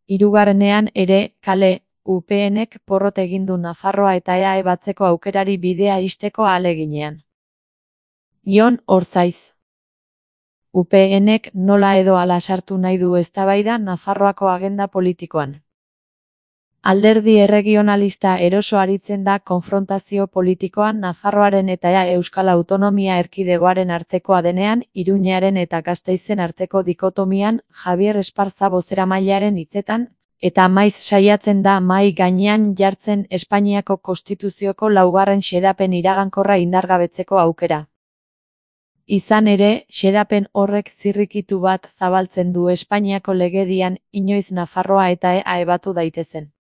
Hirugarrenean ere, kale, UPNek porrot egin du Nafarroa eta EAE batzeko aukerari bidea ixteko ahaleginean. Jon Orzaiz. UPNek nola edo hala sartu nahi du eztabaida Nafarroako agenda politikoan. Alderdi erregionalista eroso aritzen da konfrontazio politikoan Nafarroaren eta Euskal Autonomia Erkidegoaren artekoa denean, Iruñearen eta Gasteizen arteko dikotomian, Javier Esparza bozeramailearen hitzetan, eta maiz saiatzen da mahai gainean jartzen Espainiako Konstituzioko 4. xedapen iragankorra indargabetzeko aukera. Izan ere, xedapen horrek zirrikitu bat zabaltzen du Espainiako legedian inoiz Nafarroa eta EAE batu daitezen.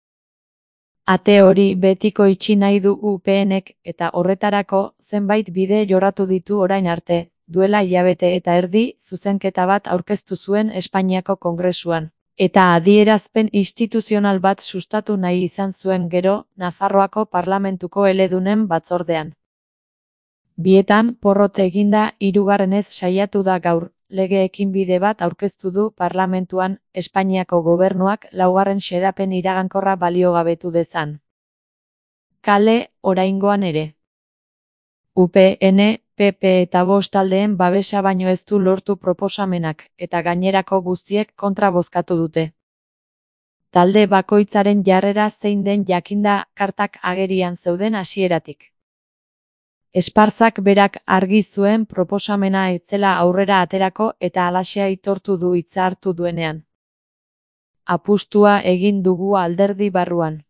Ate hori betiko itxi nahi du UPNek eta horretarako zenbait bide jorratu ditu orain arte, duela hilabete eta erdi zuzenketa bat aurkeztu zuen Espainiako Kongresuan, eta adierazpen instituzional bat sustatu nahi izan zuen gero Nafarroako Parlamentuko eledunen batzordean. Bietan porrot eginda hirugarrenez saiatu da gaur, lege ekinbide bat aurkeztu du parlamentuan Espainiako gobernuak 4. xedapen iragankorra baliogabetu dezan. Kale, oraingoan ere. UPN, PP eta bost taldeen babesa baino ez du lortu proposamenak, eta gainerako guztiek kontra bozkatu dute. Talde bakoitzaren jarrera zein den jakinda kartak agerian zeuden hasieratik. Esparzak berak argi zuen proposamena ez zela aurrera aterako eta halaxe aitortu du hitza hartu duenean. Apustua egin dugu alderdi barruan.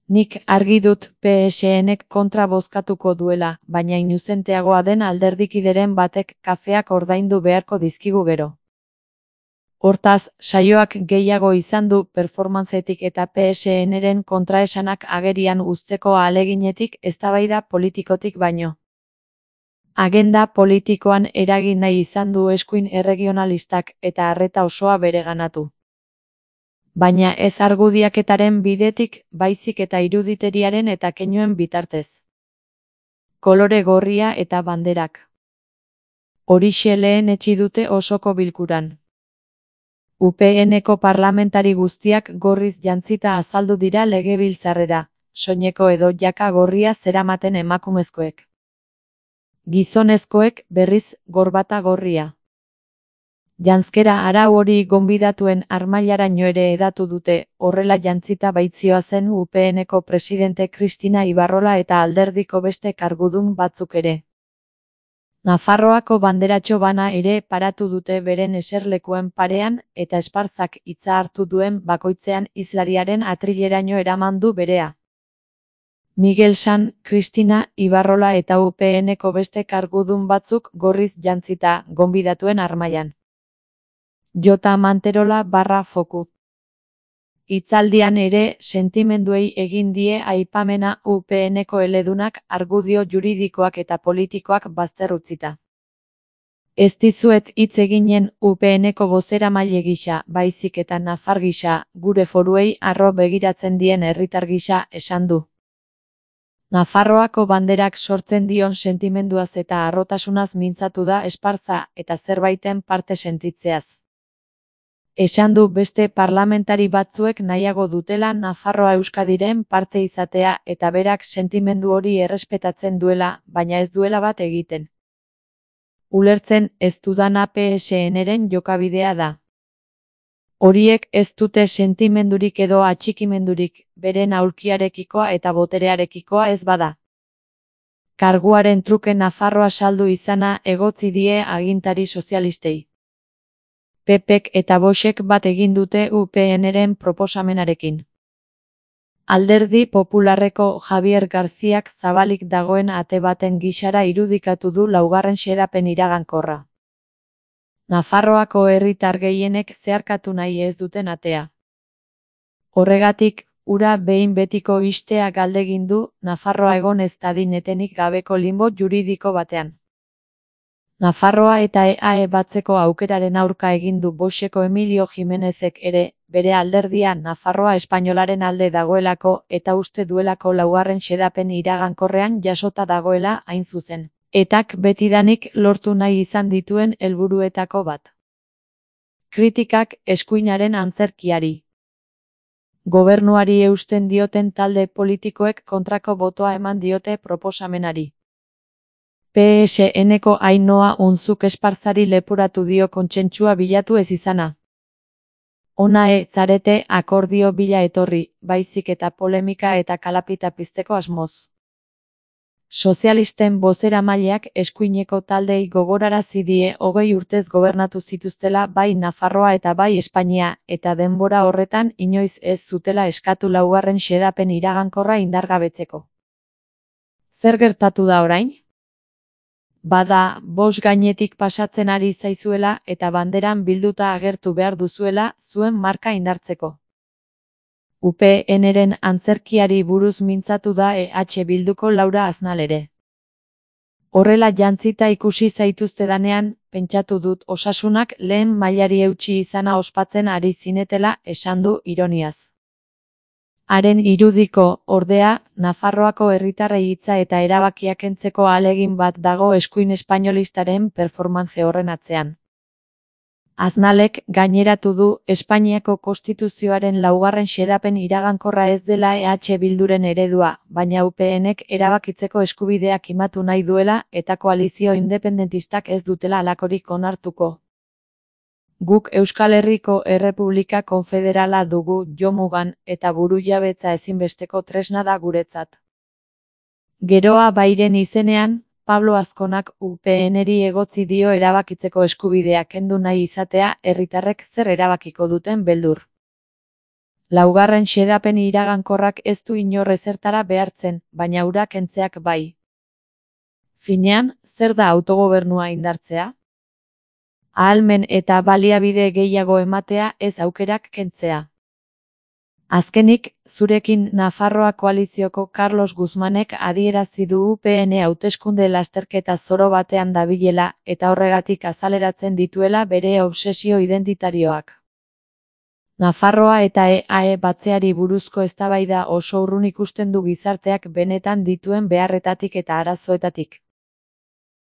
Nik argi dut PSNek kontra bozkatuko duela, baina inuzenteagoa den alderdikideren batek kafeak ordaindu beharko dizkigu gero. Hortaz, saioak gehiago izan du performantzetik eta PSNren kontraesanak agerian uzteko ahaleginetik eztabaida politikotik baino. Agenda politikoan eragin nahi izan du eskuin erregionalistak eta arreta osoa bereganatu. Baina ez argudiaketaren bidetik, baizik eta iruditeriaren eta keinuen bitartez. Kolore gorria eta banderak. Horixe lehen etsi dute osoko bilkuran. UPNeko parlamentari guztiak gorriz jantzita azaldu dira legebiltzarrera, soineko edo jaka gorria zeramaten emakumezkoek. Gizonezkoek berriz gorbata gorria. Janzkera arau hori gonbidatuen armailaraino ere hedatu dute, horrela jantzita baitzioa zen UPNeko presidente Kristina Ibarrola eta alderdiko beste kargudun batzuk ere. Nafarroako banderatxo bana ere paratu dute beren eserlekuen parean eta Esparzak hitza hartu duen bakoitzean hizlariaren atrileraino eraman du berea. Miguel San, Kristina Ibarrola eta UPNeko beste kargudun batzuk gorriz jantzita gonbidatuen armailan. Jota Manterola /Foku. Hitzaldian ere sentimenduei egin die aipamena UPNeko eledunak argudio juridikoak eta politikoak bazter utzita. Ez dizuet hitz eginen UPNeko bozeramaile gisa, baizik eta nafar gisa, gure foruei harro begiratzen dien herritar gisa esan du. Nafarroako banderak sortzen dion sentimenduaz eta harrotasunaz mintzatu da Esparza eta zerbaiten parte sentitzeaz. Esan du beste parlamentari batzuek nahiago dutela Nafarroa Euskadiren parte izatea eta berak sentimendu hori errespetatzen duela, baina ez duela bat egiten. Ulertzen ez dudana PSNren jokabidea da. Horiek ez dute sentimendurik edo atxikimendurik, beren aulkiarekikoa eta boterearekikoa ez bada. Karguaren truke Nafarroa saldu izana egotzi die agintari sozialistei. PPek eta Voxek bat egin dute UPNren proposamenarekin. Alderdi Popularreko Javier Garziak zabalik dagoen ate baten gisara irudikatu du 4. xedapen iragankorra. Nafarroako herritar gehienek zeharkatu nahi ez duten atea. Horregatik, hura behin betiko ixtea galdegin du Nafarroa egon ez dadin etenik gabeko limbo juridiko batean. Nafarroa eta EAE batzeko aukeraren aurka egin du Voxeko Emilio Jimenezek ere, bere alderdia Nafarroa espainolaren alde dagoelako eta uste duelako 4. xedapen iragankorrean jasota dagoela hain zuzen. Etak betidanik lortu nahi izan dituen helburuetako bat. Kritikak eskuinaren antzerkiari. Gobernuari eusten dioten talde politikoek kontrako botoa eman diote proposamenari. PSN-ko Ainhoa Unzuk Esparzari leporatu dio kontsentsua bilatu ez izana. Ona zarete akordio bila etorri, baizik eta polemika eta kalapita pizteko asmoz. Sozialisten bozeramaileak eskuineko taldei gogorarazi die 20 urtez gobernatu zituztela bai Nafarroa eta bai Espainia, eta denbora horretan inoiz ez zutela eskatu laugarren xedapen iragankorra indargabetzeko. Zer gertatu da orain? Bada, bost gainetik pasatzen ari zaizuela eta banderan bilduta agertu behar duzuela zuen marka indartzeko. UPN-ren antzerkiari buruz mintzatu da EH Bilduko Laura Aznal ere. Horrela jantzita ikusi zaituztedanean, pentsatu dut osasunak lehen mailari eutsi izana ospatzen ari zinetela esan du ironiaz. Haren irudiko, ordea, Nafarroako herritarrei hitza eta erabakiak kentzeko ahalegin bat dago eskuin espainolistaren performance horren atzean. Aznalek gaineratu du Espainiako Konstituzioaren laugarren xedapen iragankorra ez dela EH Bilduren eredua, baina UPN-ek erabakitzeko eskubidea kimatu nahi duela eta koalizio independentistak ez dutela halakorik onartuko. Guk Euskal Herriko Errepublika Konfederala dugu jomugan eta burujabetza ezinbesteko tresna da guretzat. Geroa bairen izenean, Pablo Azkonak UPN-eri egotzi dio erabakitzeko eskubidea kendu nahi izatea herritarrek zer erabakiko duten beldur. Laugarren xedapen iragankorrak ez du inor ezertara behartzen, baina hura kentzeak bai. Finean, zer da autogobernua indartzea? Ahalmen eta baliabide gehiago ematea ez aukerak kentzea. Azkenik, zurekin Nafarroa koalizioko Carlos Guzmanek adierazi du UPN hauteskunde lasterketa zoro batean dabilela eta horregatik azaleratzen dituela bere obsesio identitarioak. Nafarroa eta EAE batzeari buruzko eztabaida oso urrun ikusten du gizarteak benetan dituen beharretatik eta arazoetatik.